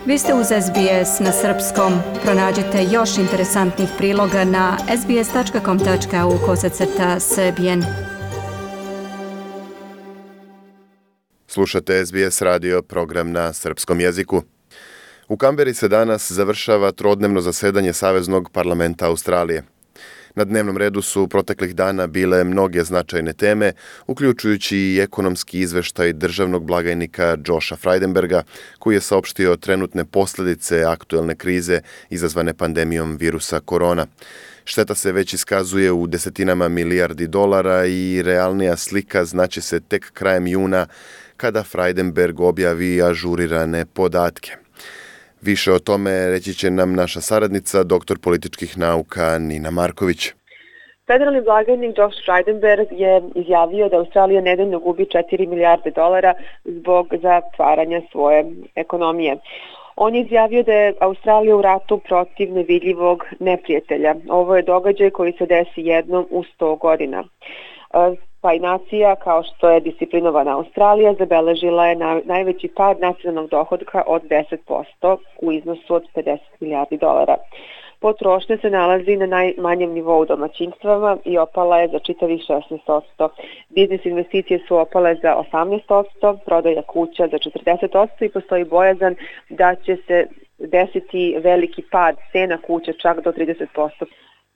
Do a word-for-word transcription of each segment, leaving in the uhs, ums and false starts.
Vi ste uz S B S na srpskom. Pronađite još interesantnih priloga na sbs.com tačka au kosacrta srbijen. Slušate S B S radio, program na srpskom jeziku. U Kamberi se danas završava trodnevno zasedanje Saveznog parlamenta Australije. Na dnevnom redu su proteklih dana bile mnoge značajne teme, uključujući i ekonomski izveštaj državnog blagajnika Josha Frydenberga, koji je saopštio trenutne posljedice aktuelne krize izazvane pandemijom virusa korona. Šteta se već iskazuje u desetinama milijardi dolara i realnija slika znaće se tek krajem juna kada Frydenberg objavi ažurirane podatke. Više o tome reći će nam naša saradnica, doktor političkih nauka Nina Marković. Federalni blagajnik Josh Frydenberg je izjavio da Australija nedeljno gubi četiri milijarde dolara zbog zatvaranja svoje ekonomije. On je izjavio da je Australija u ratu protiv nevidljivog neprijatelja. Ovo je događaj koji se desi jednom u sto godina. Pa i nacija, kao što je disciplinovana Australija, zabeležila je na, najveći pad nacionalnog dohodka od deset posto u iznosu od pedeset milijardi dolara. Potrošnja se nalazi na najmanjem nivou domaćinstvama i opala je za čitavih šesnaest posto. Biznis investicije su opale za osamnaest posto, prodaja kuća za četrdeset posto i postoji bojazan da će se desiti veliki pad cena kuća čak do trideset posto.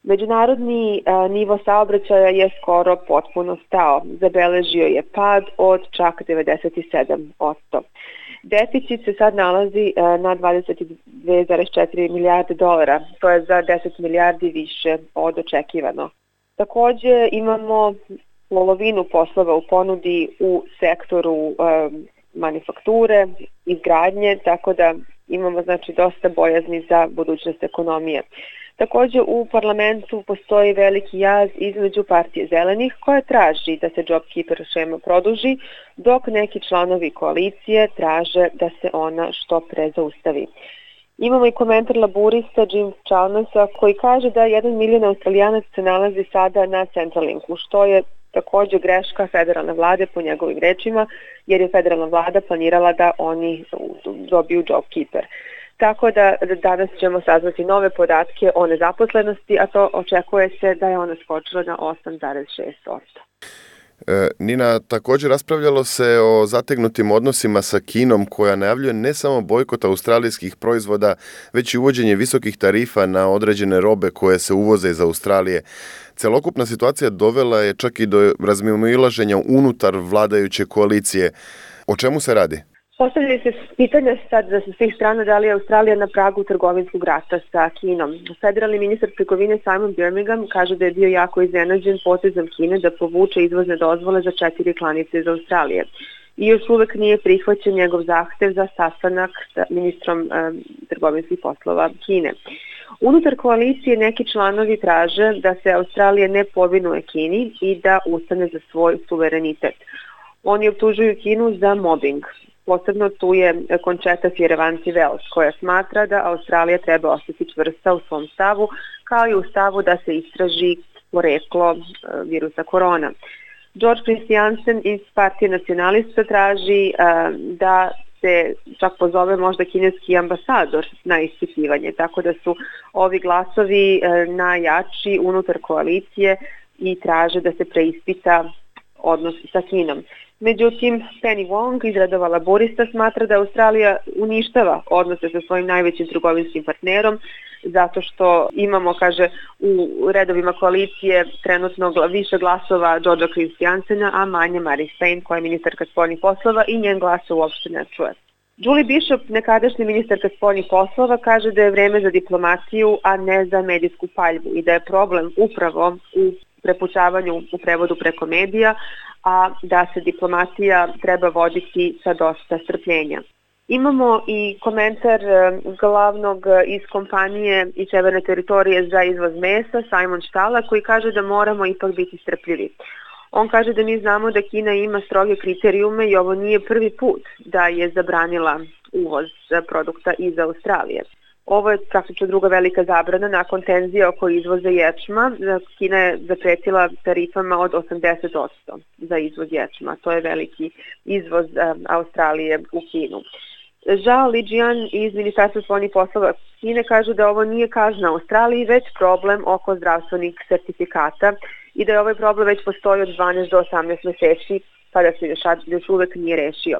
Međunarodni a, nivo saobraćaja je skoro potpuno stao. Zabeležio je pad od čak devedeset sedam posto. Deficit se sad nalazi a, na dvadeset dve zarez četiri milijarde dolara. To je za deset milijardi više od očekivano. Također imamo polovinu poslova u ponudi u sektoru a, manufakture, izgradnje, tako da imamo znači dosta bojazni za budućnost ekonomije. Također u parlamentu postoji veliki jaz između partije zelenih koja traži da se JobKeeper šema produži, dok neki članovi koalicije traže da se ona što pre zaustavi. Imamo i komentar laburista Jim Chalmersa koji kaže da jedan milion Australijanaca se nalazi sada na Centralinku, što je također greška federalne vlade po njegovim rečima, jer je federalna vlada planirala da oni dobiju JobKeeper. Tako da danas ćemo saznati nove podatke o nezaposlenosti, a to očekuje se da je ona skočila na osam zarez šest posto. E, Nina, također raspravljalo se o zategnutim odnosima sa Kinom koja najavljuje ne samo bojkot australijskih proizvoda, već i uvođenje visokih tarifa na određene robe koje se uvoze iz Australije. Celokupna situacija dovela je čak i do razmimoilaženja unutar vladajuće koalicije. O čemu se radi? Postavljaju se pitanja sad za svih strana da li je Australija na pragu trgovinskog rata sa Kinom. Federalni ministar trgovine Simon Birmingham kaže da je bio jako iznenađen potezom Kine da povuče izvozne dozvole za četiri klanice iz Australije. I još uvek nije prihvaćen njegov zahtev za sastanak sa ministrom eh, trgovinskih poslova Kine. Unutar koalicije neki članovi traže da se Australija ne povinuje Kini i da ustane za svoj suverenitet. Oni optužuju Kinu za mobbing. Posebno tu je Concheta Fierravanti-Wells koja smatra da Australija treba ostati čvrsta u svom stavu, kao i u stavu da se istraži poreklo virusa korona. George Christiansen iz partije nacionalista traži da se čak pozove možda kineski ambasador na ispitivanje, tako da su ovi glasovi najjači unutar koalicije i traže da se preispita odnos sa Kinom. Međutim, Penny Wong iz redova laborista smatra da Australija uništava odnose sa svojim najvećim trgovinskim partnerom zato što imamo, kaže, u redovima koalicije trenutno više glasova Georgea Christiansena, a manje Marise Payne koja je ministarka spoljnih poslova i njen glas se uopšte ne čuje. Julie Bishop, nekadašnji ministarka spoljnih poslova, kaže da je vreme za diplomaciju, a ne za medijsku paljbu i da je problem upravo u prepucavanju u prevodu preko medija, a da se diplomatija treba voditi sa dosta strpljenja. Imamo i komentar glavnog iz kompanije iz Severne teritorije za izvoz mesa, Simon Štala, koji kaže da moramo ipak biti strpljivi. On kaže da mi znamo da Kina ima stroge kriterijume i ovo nije prvi put da je zabranila uvoz produkta iz Australije. Ovo je praktično druga velika zabrana nakon tenzija oko izvoza ječma. Kina je zapretila tarifama od osamdeset posto za izvoz ječma. To je veliki izvoz Australije u Kinu. Zhao Lijian iz Ministarstva spoljnih poslova Kine kažu da ovo nije kazna Australiji, već problem oko zdravstvenih sertifikata i da je ovaj problem već postoji od dvanaest do osamnaest meseci, pa da se još, još uvek nije rešio.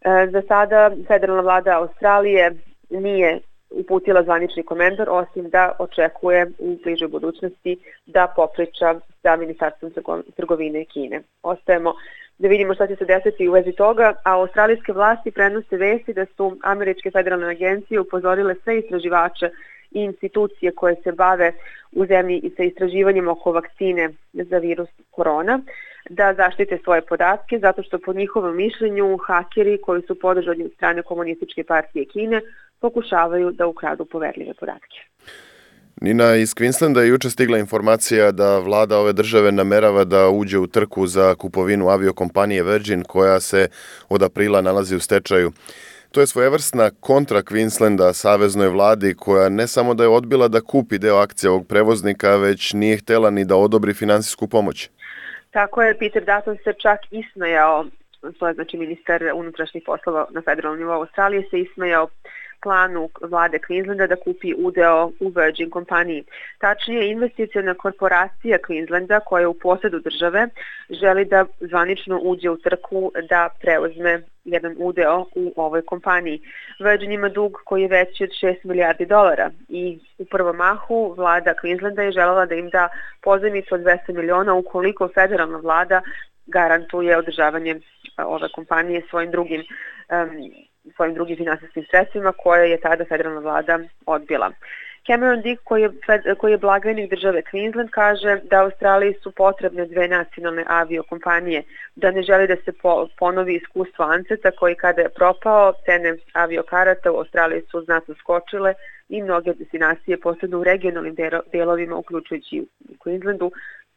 E, za sada federalna vlada Australije nije uputila zvanični komentar, osim da očekuje u bližoj budućnosti da popriča sa Ministarstvom trgovine Kine. Ostajemo da vidimo šta će se desiti u vezi toga, a australijske vlasti prenose vesti da su američke federalne agencije upozorile sve istraživače i institucije koje se bave u zemlji i sa istraživanjem oko vakcine za virus korona, da zaštite svoje podatke, zato što po njihovom mišljenju hakeri koji su podržani od strane Komunističke partije Kine pokušavaju da ukradu poverljive podatke. Nina, iz Queenslanda je juče stigla informacija da vlada ove države namerava da uđe u trku za kupovinu aviokompanije Virgin koja se od aprila nalazi u stečaju. To je svojevrsna kontra Queenslanda saveznoj vladi koja ne samo da je odbila da kupi deo akcija ovog prevoznika, već nije htela ni da odobri finansijsku pomoć. Tako je, Peter Dutton se čak ismejao, to je znači ministar unutrašnjih poslova na federalnom nivou Australije, se ismejao planu vlade Queenslanda da kupi udeo u Virgin kompaniji. Tačnije, investiciona korporacija Queenslanda koja je u posedu države želi da zvanično uđe u trku da preuzme jedan udeo u ovoj kompaniji. Virgin ima dug koji je veći od šest milijardi dolara i u prvom mahu vlada Queenslanda je želela da im da pozajmicu od dvesta miliona ukoliko federalna vlada garantuje održavanje ove kompanije svojim drugim um, svojim drugim finansijskim sredstvima koje je tada federalna vlada odbila. Cameron Dick, koji je, koji je blagajnik države Queensland, kaže da Australiji su potrebne dve nacionalne aviokompanije, da ne želi da se po, ponovi iskustvo Anseta koji kada je propao, cene aviokarata u Australiji su znatno skočile i mnoge destinacije, posebno u regionalnim delovima, uključujući u Queenslandu,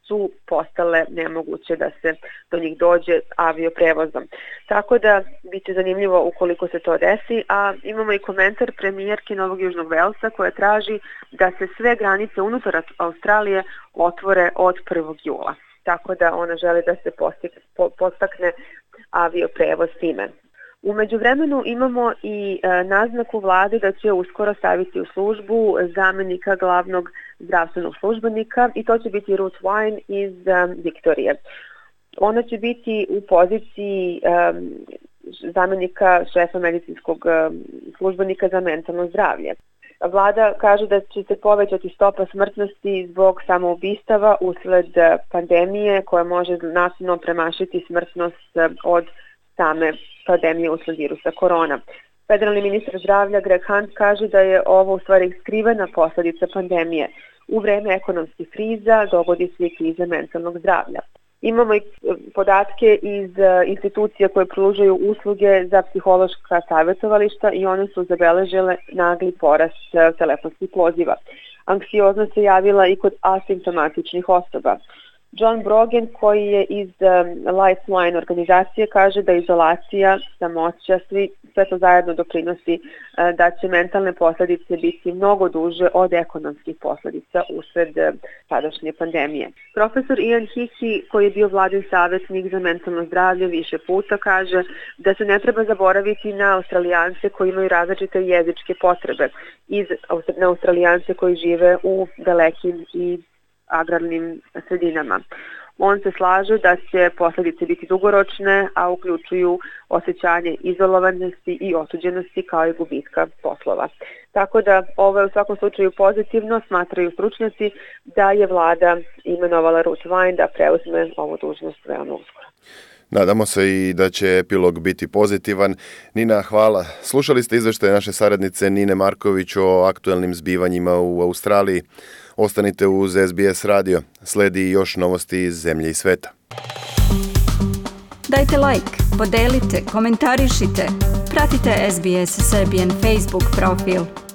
su postale nemoguće da se do njih dođe avioprevozom. Tako da biće zanimljivo ukoliko se to desi, a imamo i komentar premijerke Novog Južnog Velsa koja traži da se sve granice unutar Australije otvore od prvog jula. Tako da ona želi da se podstakne avioprevoz time. U međuvremenu imamo i e, naznaku vlade da će uskoro staviti u službu zamenika glavnog zdravstvenog službenika i to će biti Ruth Wine iz um, Viktorije. Ona će biti u poziciji um, zamenika šefa medicinskog um, službenika za mentalno zdravlje. Vlada kaže da će se povećati stopa smrtnosti zbog samoubistava usled pandemije koja može nasilno premašiti smrtnost od same pandemije usled virusa korona. Federalni ministar zdravlja Greg Hunt kaže da je ovo u stvari skrivena posledica pandemije. U vreme ekonomskih kriza dogodi se i kriza mentalnog zdravlja. Imamo i podatke iz institucija koje pružaju usluge za psihološka savjetovališta i one su zabeležile nagli porast telefonskih poziva. Anksioznost se javila i kod asimptomatičnih osoba. John Brogan, koji je iz um, Lifeline organizacije, kaže da izolacija, samoća, svi, sve to zajedno doprinosi uh, da će mentalne posljedice biti mnogo duže od ekonomskih posljedica usred uh, sadašnje pandemije. Profesor Ian Hickey, koji je bio vladin savjetnik za mentalno zdravlje više puta, kaže da se ne treba zaboraviti na Australijance koji imaju različite jezičke potrebe i na Australijance koji žive u dalekim i agrarnim sredinama. On se slaže da će posljedice biti dugoročne, a uključuju osjećanje izolovanosti i otuđenosti kao i gubitka poslova. Tako da ovo je u svakom slučaju pozitivno, smatraju stručnjaci da je vlada imenovala Ruth Wine da preuzme ovu dužnost veoma uskoro. Nadamo se i da će epilog biti pozitivan. Nina, hvala. Slušali ste izveštaje naše saradnice Nine Marković o aktuelnim zbivanjima u Australiji. Ostanite uz S B S radio. Sledi još novosti iz zemlje i sveta. Dajte like, podelite, komentarišite. Pratite S B S Serbian Facebook profil.